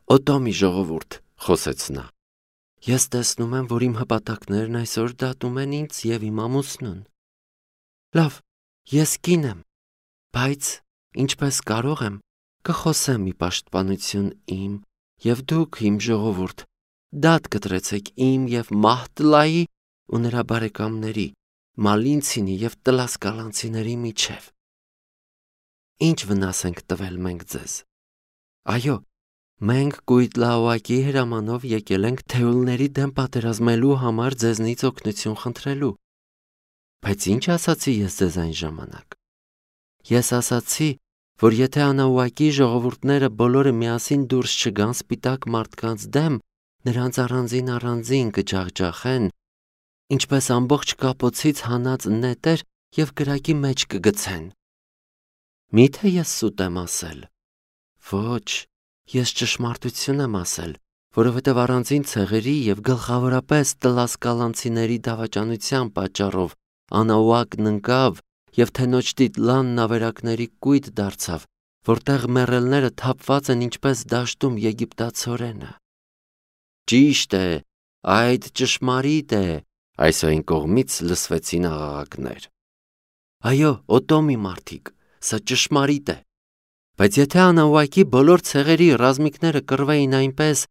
Օտոմի ժողովուրդ, խոսեց նա։ Ես տեսնում եմ, որ իմ հպատակներն այսօր դատում են ինձ եւ իմ ամուսնուն։ Լավ, ես կին եմ, բայց ինչպես կարող եմ, կխոսեմ ի պաշտպանություն իմ եւ դուք իմ ժողովուրդ, դատ կտրեցեք իմ եւ Մահտլայի ու նրա բարեկամների, Մալինցինի եւ Տլասկալանցիների միջև։ Ինչ վնաս ենք տվել մենք ձեզ։ Այո, մենք Կույտլաուակի հրամանով եկել ենք թեուլների դեմ պատերազմելու համար ձեզնից օգնություն խնդրելու։ Բայց ինչ ասացի ես ձեզ այն ժամանակ։ Ես ասացի, որ եթե Անաուակի ժողովուրդները բոլորը միասին դուրս չգան սպիտակ մարդկանց դեմ, նրանց առանձին կջախջախեն, ինչպես ամբողջ կապոցից հանած նետեր եւ կրակի մեջ կգցեն։ Միթե ես սուտ եմ ասել։ Ոչ, ես ճշմարտություն եմ ասել, որովհետև առանձին ցեղերի եւ գլխավորապես Տլասկալանցիների դավաճանության պատճառով Անաուակն ընկավ եւ թենոջ Տիտլանն ավերակների կույտ դարձավ, որտեղ մեռելները թափված են ինչպես դաշտում եգիպտացորենը։ Ճիշտ է, այդ ճշմարիտ է, այսօր կողմից լսվեցին աղաղակներ։ Այո, Օտոմի մարդիկ, սա ճշմարիտ է։ Բայց եթե Անաուակի բոլոր ցեղերի ռազմիկները կռվեին այնպես,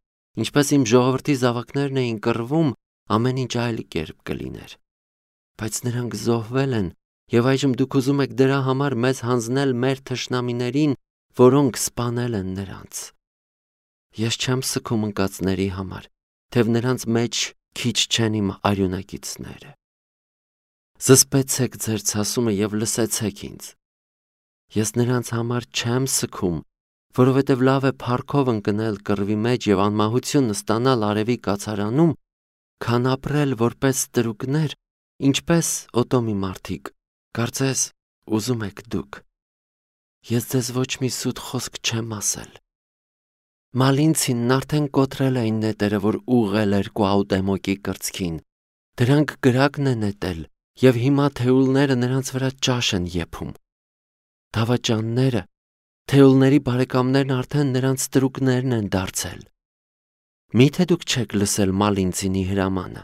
ինչպես իմ ժողովրդի զավակներն էին կռվում, ամեն ինչ այլ կերպ կլիներ։ Բայց նրանք զոհվել են, եւ այժմ դուք ուզում եք դրա համար մեզ հանձնել մեր թշնամիներին, որոնք սպանել են նրանց։ Ես չեմ սգում ընկածների համար, թեև նրանց մեջ քիչ չեն իմ արյունակիցները։ Զսպեցեք ձեր ցասումը եւ լսեցեք ինձ։ Ես նրանց համար չեմ սգում, որովհետև լավ է փառքով ընկնել կռվի մեջ եւ անմահություն ստանալ արևի կացարանում, քան ապրել որպես ստրուկներ, ինչպես Օտոմի մարդիկ, կարծես ուզում եք դուք։ Ես ձեզ ոչ մի սուտ խոսք չեմ ասել։ Մալինցինն արդեն կոտրել էին նետերը, որ ուղղել էր Կուաուտեմոկի կրծքին։ Դրանք գրակն է նետել, եւ հիմա թեուլները նրանց վրա ճաշ են եփում։ Դավաճանները, թեուլների բարեկամներն արդեն նրանց ստրուկներն են դարձել։ Միթե դուք չեք լսել Մալինցինի հրամանը։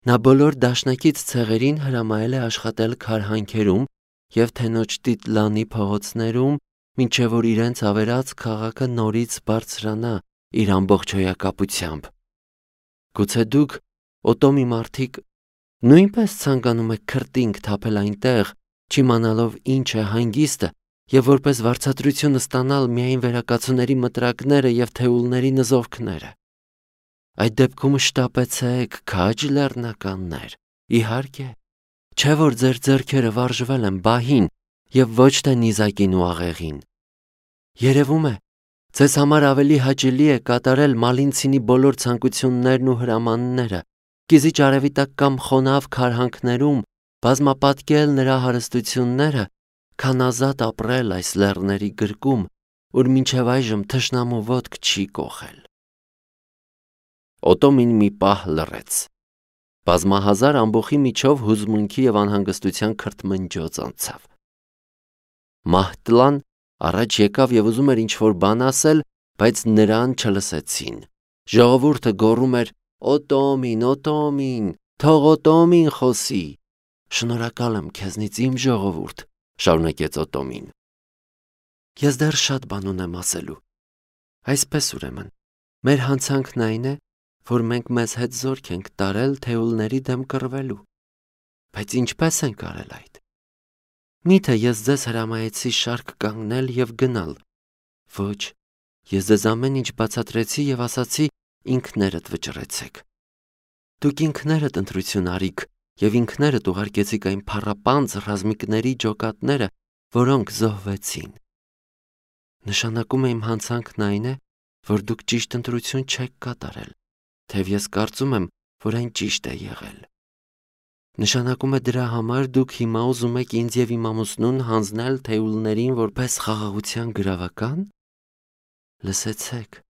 Նա բոլոր դաշնակից ցեղերին հրամայել է աշխատել քարհանքերում եւ թենոջ Տիտլանի փողոցներում, մինչեւ որ իրենց ավերած քաղաքը նորից բարձրանա իր ամբողջ հոյակապությամբ։ Գուցե դուք, Օտոմի մարդիկ, նույնպես ցանկանում եք քրտինք թափել այնտեղ, չիմանալով ինչ է հանգիստը, եւ որպես վարձատրություն ստանալ միայն վերակացուների մտրակները եւ թեուլների նզովքները։ Այդ դեպքում շտապեցեք, քաջ լեռնականներ, իհարկե, չէ որ ձեր ձեռքերը վարժվել են բահին եւ ոչ թե նիզակին ու աղեղին։ Երևում է, ձեզ համար ավելի հաճելի է կատարել Մալինցինի բոլոր ցանկություններն ու հրամանները, կիզիչ արևի տակ կամ խոնավ քարհանքներում բազմապատկել նրա հարստությունները, քան ազատ ապրել այս լեռների գրկում, ուր մինչև այժմ թշնամու ոտք չի կոխել։ Օտոմին մի պահ լռեց։ Բազմահազար ամբոխի միջով հուզմունքի եւ անհանգստության քրթմնջոց անցավ։ Մահտլան առաջ եկավ եւ ուզում էր ինչ-որ բան ասել, բայց նրան չլսեցին։ Ժողովուրդը գոռում էր. Օտոմին, Օտոմին, թող Օտոմին խոսի։ Շնորհակալ եմ քեզնից իմ ժողովուրդ, շարունակեց Օտոմին։ Ես դեռ շատ բան ունեմ ասելու։ Այսպես ուրեմն, մեր հանցանքն այն է, որ մենք մեզ հետ զորք ենք տարել թեուլների դեմ կռվելու։ Բայց ինչպես ենք արել այդ։ Միթե ես ձեզ հրամայեցի շարք կանգնել եւ գնալ։ Ոչ, ես ձեզ ամեն ինչ բացատրեցի եւ ասացի ինքներդ վճռեցեք։ Դուք ինքներդ ընտրություն արիք եւ ինքներդ ուղարկեցիք այն փառապանծ ռազմիկների ջոկատները, որոնք զոհվեցին։ Նշանակում է իմ հանցանքն այն է, որ դուք ճիշտ ընտրություն չեք կատարել, թեև ես կարծում եմ, որ այն ճիշտ է եղել։ Նշանակում է դրա համար դուք հիմա ուզում եք ինձ եւ իմ ամուսնուն հանձնել թեուլներին որպես խաղաղության գրավական։ Լսեցեք,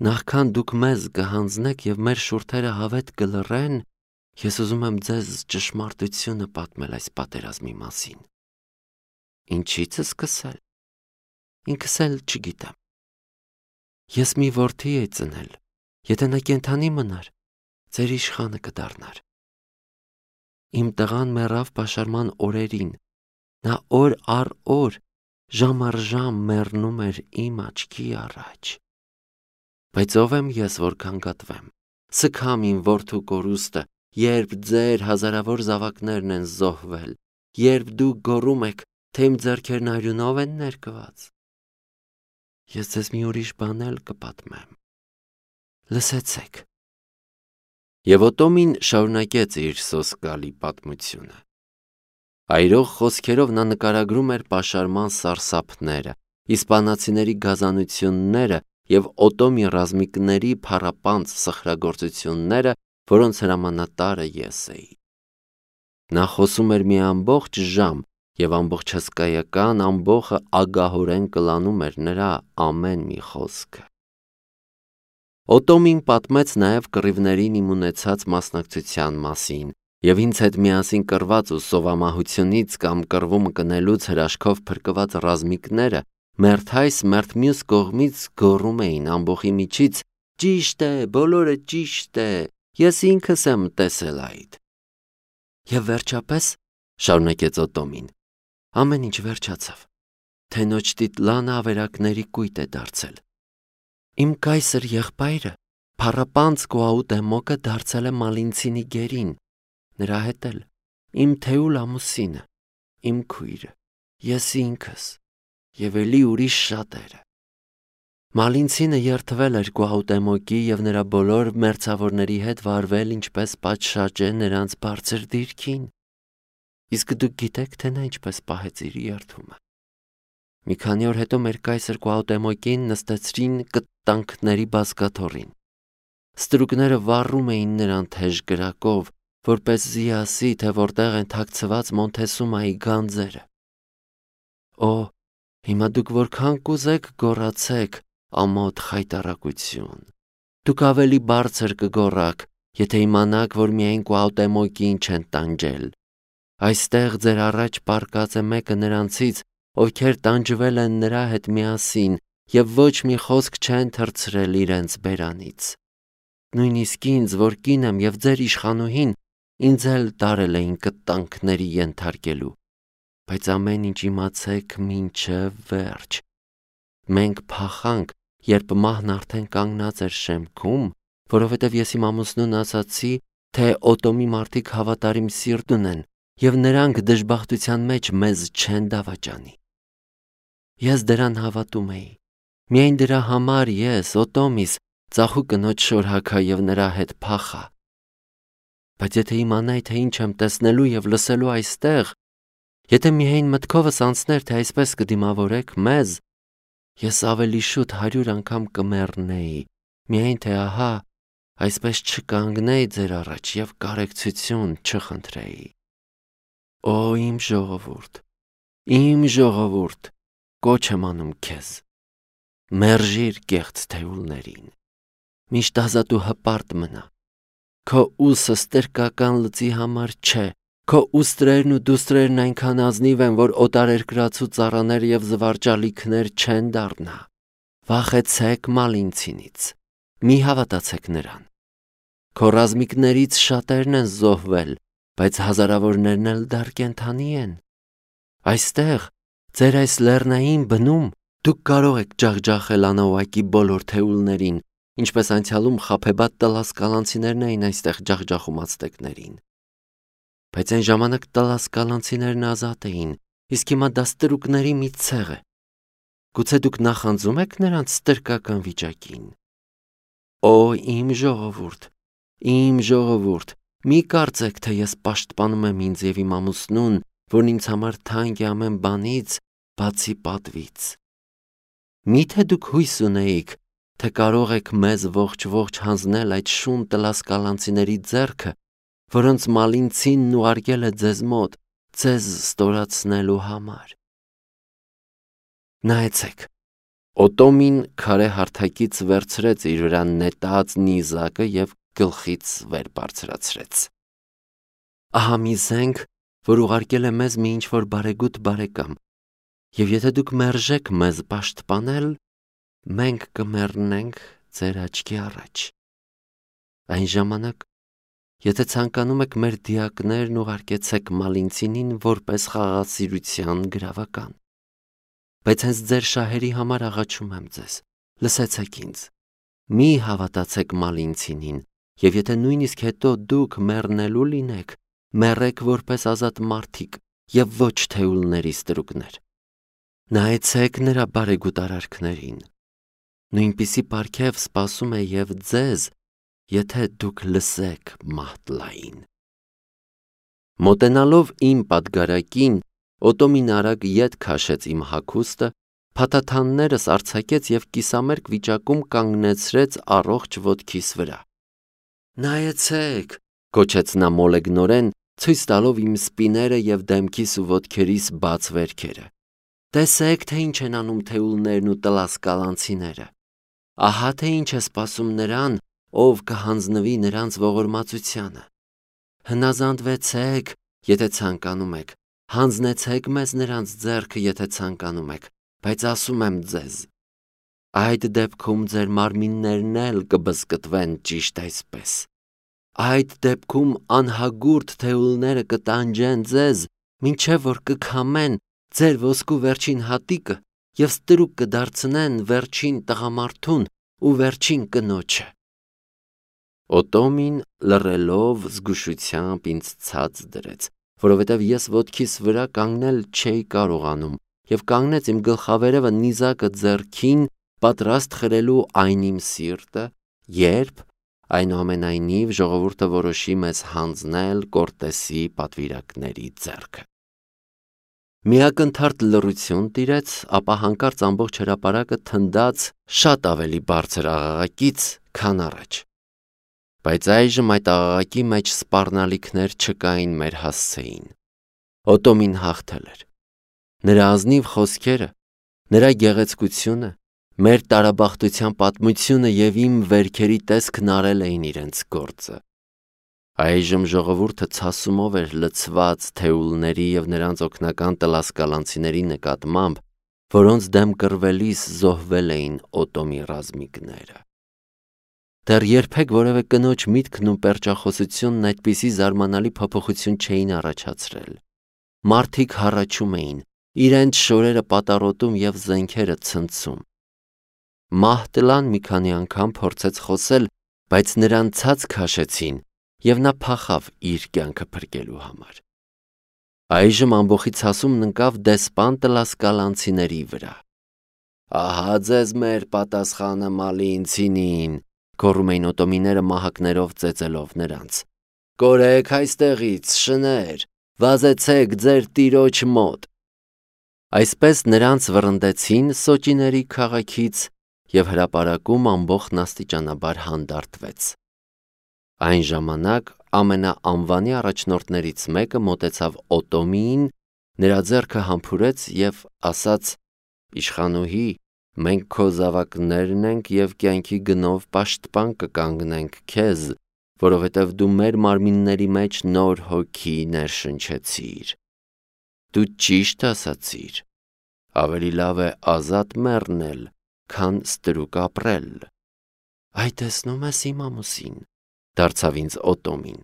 նախքան դուք մեզ կհանձնեք եւ մեր շուրթերը հավետ կլռեն, ես ուզում եմ ձեզ ճշմարտությունը պատմել այս պատերազմի մասին։ Ինչից սկսել։ Ինքս էլ չգիտեմ։ Ես մի որդի էի ծնել, եթե նա կենդանի մնար, ձեր իշխանը կդառնար։ Իմ տղան մեռավ պաշարման օրերին, նա օր առ օր, ժամ առ ժամ մեռնում էր իմ աչքի առաջ։ Բայց ով եմ ես, որ կանգատվեմ, սգամ իմ որդու կորուստը, երբ ձեր հազարավոր զավակներն են զոհվել, երբ դուք գոռում եք, թե իմ ձեռքերն արյունով են ներկված։ Ես ձեզ մի ուրիշ բան էլ կպատմեմ։ Լսեցեք։ Եվ Օտոմին շարունակեց իր սոսկալի պատմությունը։ Այրող խոսքերով նա նկարագրում էր պաշարման սարսափները, իսպանացիների գազանությունները և Օտոմի ռազմիկների փառապանծ սխրագործությունները, որոնց հրամանատարը ես էի։ Նա խոսում էր մի ամբողջ ժամ, և ամբողջ հսկայական ամբոխը ագահորեն կլանում էր նրա ամեն մի խոսքը։ Օտոմին պատմեց նաև կռիվներին իմ ունեցած մասնակցության մասին և ինձ հետ միասին կռված ու սովամահությունից կամ կռվում կնելուց հրաշքով փրկված ռազմիկները մերթ այս մերթ մյուս կողմից գոռում էին ամբոխի միջից. «Ճիշտ է, բոլորը ճիշտ է, ես ինքս եմ տեսել այդ»։ Եվ վերջապես, շարունակեց Օտոմին, ամեն ինչ վերջացավ։ Թենոչտիտլանը ավերակների կույտ է դարձել։ Իմ կայսր եղբայրը, փառապանծ Կուաուտեմոկը դարձել է Մալինցինի գերին, նրա հետ էլ իմ թեուլ ամուսինը, իմ քույրը, ես ինքս և էլի ուրիշ շատերը։ Մալինցինը երդվել էր Կուաուտեմոկի և նրա բոլոր մերձավորների հետ վարվել ինչպես պատշաճ է նրանց բարձր դիրքին։ Իսկ դուք գիտեք, թե նա ինչպես պահեց իր երդումը։ Մի քանի օր հետո մեր կայսր Կուաուտեմոկին նստեցրին կտտանքների բազկաթոռին։ Ստրուկները վառում էին նրան թեժ կրակով, որպեսզի ասի, թե որտեղ են թաքցված Մոնթեսումայի գանձերը։ Օ, հիմա դուք որքան կուզեք գոռացեք ամոթ խայտառակություն։ Դուք ավելի բարձր կգոռաք, եթե իմանաք, որ միայն Կուաուտեմոկին չեն տանջել։ Այստեղ ձեր առաջ պառկած է մեկը նրանցից, ովքեր տանջվել են նրա հետ միասին և ոչ մի խոսք չեն թռցրել իրենց բերանից։ Նույնիսկ ինձ, որ կին եմ և ձեր իշխանուհին, ինձ էլ տարել էին կտտանքների ենթարկելու։ Բայց ամեն ինչ իմացեք մինչև վերջ։ Մենք փախանք, երբ մահն արդեն կանգնած էր շեմքում, որովհետև ես իմ ամուսնուն ասացի, թե Օտոմի մարդիկ հավատարիմ սիրտ ունեն և նրանք դժբախտության մեջ մեզ չեն դավաճանի։ Ես դրան հավատում էի։ Միայն դրա համար ես, Օտոմիս, ծախու կնոջ շորհագա և նրա հետ փախա։ Բայց եթե իմանայի, թե ինչ եմ տեսնելու և լսելու այստեղ, եթե միայն մտքովս անցներ, թե այսպես կդիմավորեք մեզ, ես ավելի շուտ 100 անգամ կմեռնեի, միայն թե ահա, այսպես չկանգնեի ձեր առաջ և կարեկցություն չխնդրեի։ Օ, իմ ժողովուրդ, կոչ եմ անում քեզ, մերժիր կեղծ թեուլներին, միշտ ազատ ու հպարտ մնա, քո ուսը ստրկական լծի համար չէ, քո ուստրերն ու դուստրերն այնքան ազնիվ են, որ օտարերկրացու ծառաներ և զվարճալիքներ չեն դառնա։ Վախեցեք Մալինցինից, մի հավատացեք նրան։ Քո ռազմիկներից շատերն են զոհվել, բայց հազարավորներն էլ դեռ կենդանի են։ Այստեղ, ձեր այս լեռնային բնում, դուք կարող եք ջախջախել Անաուակի բոլոր թեուլներին, ինչպես անցյալում խաբեբատ տլասկալանցիներն էին այստեղ ջախջախում ացտեկներին։ Բայց այն ժամանակ տլասկալանցիներն ազատ էին, իսկ հիմա դա ստրուկների մի ցեղ է։ Գուցե դուք նախանձում եք նրանց ստրկական վիճակին։ Օ, իմ ժողովուրդ, մի կարծեք, թե ես պաշտպանում եմ ինձ և իմ ամուսնուն, որն ինձ համար թանկ է ամեն բանից, բացի պատվից։ Միթե դուք հույս ունեիք, թե կարող եք մեզ ողջ հանձնել այդ շուն տլասկալանցիների ձեռքը, որոնց Մալինցինն ուղարկել է ձեզ մոտ, ձեզ ստորացնելու համար։ Նայեցեք, Օտոմին քարե հարթակից վերցրեց իր վրա նետած նիզակը և գլխից վեր բարձրացրեց։ Ահա մի զենք, որ ուղարկել է մեզ մի ինչ-որ բարեգութ բարեկամ, և եթե դուք մերժեք մեզ պաշտպանել, մենք կմեռնենք ձեր աչքի առաջ։ Այն ժամանակ, եթե ցանկանում եք մեր դիակներն ուղարկեցեք Մալինցինին որպես խաղաղասիրության գրավական։ Բայց հենց ձեր շահերի համար աղաչում եմ ձեզ, լսեցեք ինձ։ Մի հավատացեք Մալինցինին, եւ եթե նույնիսկ հետո դուք մեռնելու լինեք, մեռեք որպես ազատ մարդիկ եւ ոչ թեուլների ստրուկներ։ Նայեցեք նրա բարեգութ արարքներին։ Նույնպիսի պարգև սպասում է եւ ձեզ, եթե դուք լսեք Մահտլային։ Մոտենալով իմ պատգարակին, Օտոմին արագ ետ քաշեց իմ հագուստը, փաթաթաններս արձակեց եւ կիսամերկ վիճակում կանգնեցրեց առողջ ոտքիս վրա։ Նայեցեք, գոչեց նա մոլեգնորեն, ցույց տալով իմ սպիները եւ դեմքիս ու ոտքերիս բաց վերքերը։ Տեսեք, թե ինչ են անում թեուլներն ու տլասկալանցիները։ Ահա թե ինչ է սպասում նրան, ով կհանձնվի նրանց ողորմածությանը։ Հնազանդվեցեք, եթե ցանկանում եք, հանձնեցեք մեզ նրանց ձեռքը, եթե ցանկանում եք, բայց ասում եմ ձեզ, այդ դեպքում ձեր մարմիններն էլ կբզկտվեն ճիշտ այսպես։ Այդ դեպքում անհագուրդ թեուլները կտանջեն ձեզ, մինչև որ կքամեն ձեր ոսկու վերջին հատիկը եւ ստրուկ կդարձնեն վերջին տղամարդուն ու վերջին կնոջը։ Օտոմին լռելով զգուշությամբ ինձ ցած դրեց, որովհետև ես ոտքիս վրա կանգնել չէի կարողանում եւ կանգնեց իմ գլխավերևը նիզակը ձեռքին, պատրաստ խրելու այն իմ սիրտը, երբ այնուամենայնիվ ժողովուրդը որոշի մեզ հանձնել Կորտեսի պատվիրակների ձեռքը։ Միակնթարթ լռություն տիրեց, ապա հանկարծ ամբողջ հրապարակը թնդաց շատ ավելի բարձր աղաղակից, քան առաջ։ Բայց այժմ այդ աղաղակի մեջ սպառնալիքներ չկային մեր հասցեին։ Օտոմին հաղթել էր։ Նրա ազնիվ խոսքերը, նրա գեղեցկությունը, մեր տարաբախտության պատմությունը եւ իմ վերքերի տեսքն արել էին իրենց գործը։ Այժմ ժողովուրդը ցասումով էր լցված թեուլների եւ նրանց օգնական տլասկալանցիների նկատմամբ, որոնց դեմ կռվելիս զոհվել էին Օտոմի ռազմիկները։ Դեռ երբեք որևէ կնոջ միտքն ու պերճախոսությունն այդպիսի զարմանալի փոփոխություն չէին առաջացրել։ Մարդիկ հառաչում էին, իրենց շորերը պատառոտում եւ զենքերը ցնցում։ Մահտլան մի քանի անգամ փորձեց խոսել, բայց նրան ցած քաշեցին եւ նա փախավ իր կյանքը փրկելու համար։ Այժմ ամբողջի ցասումն ընկավ դեսպան տլասկալանցիների վրա։ Ահա ձեզ մեր պատասխանը Մալինցինին, գոռում էին օտոմիները մահակներով ծեծելով նրանց։ Կորեք այստեղից, շներ, վազեցեք ձեր տիրոջ մոտ։ Այսպես նրանց վռնդեցին Սոճիների քաղաքից եւ հրապարակում ամբողջն աստիճանաբար հանդարտվեց։ Այն ժամանակ ամենաանվանի առաջնորդներից մեկը մոտեցավ Օտոմիին, նրա ձեռքը համբուրեց եւ ասաց. Իշխանուհի, մենք քո զավակներն ենք եւ կյանքի գնով պաշտպան կկանգնենք քեզ, որովհետեւ դու մեր մարմինների մեջ նոր հոգի ներշնչեցիր։ Դու ճիշտ ասացիր։ Ավելի լավ է ազատ մեռնել, քան ստրուկ ապրել։ Այ տեսնում ես իմ ամուսին, դարձավ ինձ Օտոմին։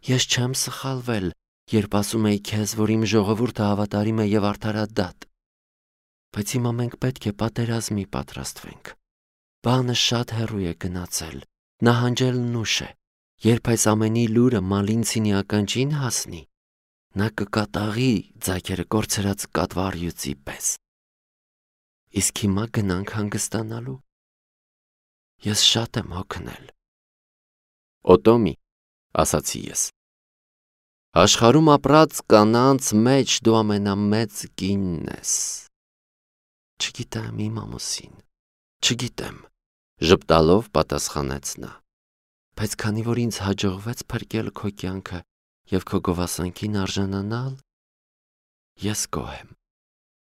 Ես չեմ սխալվել, երբ ասում էի քեզ, որ իմ ժողովուրդը հավատարիմ է եւ արդարադատ։ Բայց հիմա մենք պետք է պատերազմի պատրաստվենք։ Բանը շատ հեռու է գնացել, նահանջելն ուշ է։ Երբ այս ամենի լուրը Մալինցինի ականջին հասնի, նա կկատաղի ձագերը կորցրած կատվարյուծի պես։ Իսկ հիմա գնանք հանգստանալու։ Ես շատ եմ հոգնել։ Օտոմի, ասացի ես։ Աշխարհում ապրած կանանց մեջ դու ամենամեծ կինն ես։ Չգիտեմ իմ ամուսին, չգիտեմ, ժպտալով պատասխանեց նա։ Բայց քանի որ ինձ հաջողվեց փրկել քո կյանքը եւ քո գովասանքին արժանանալ, ես գոհ եմ։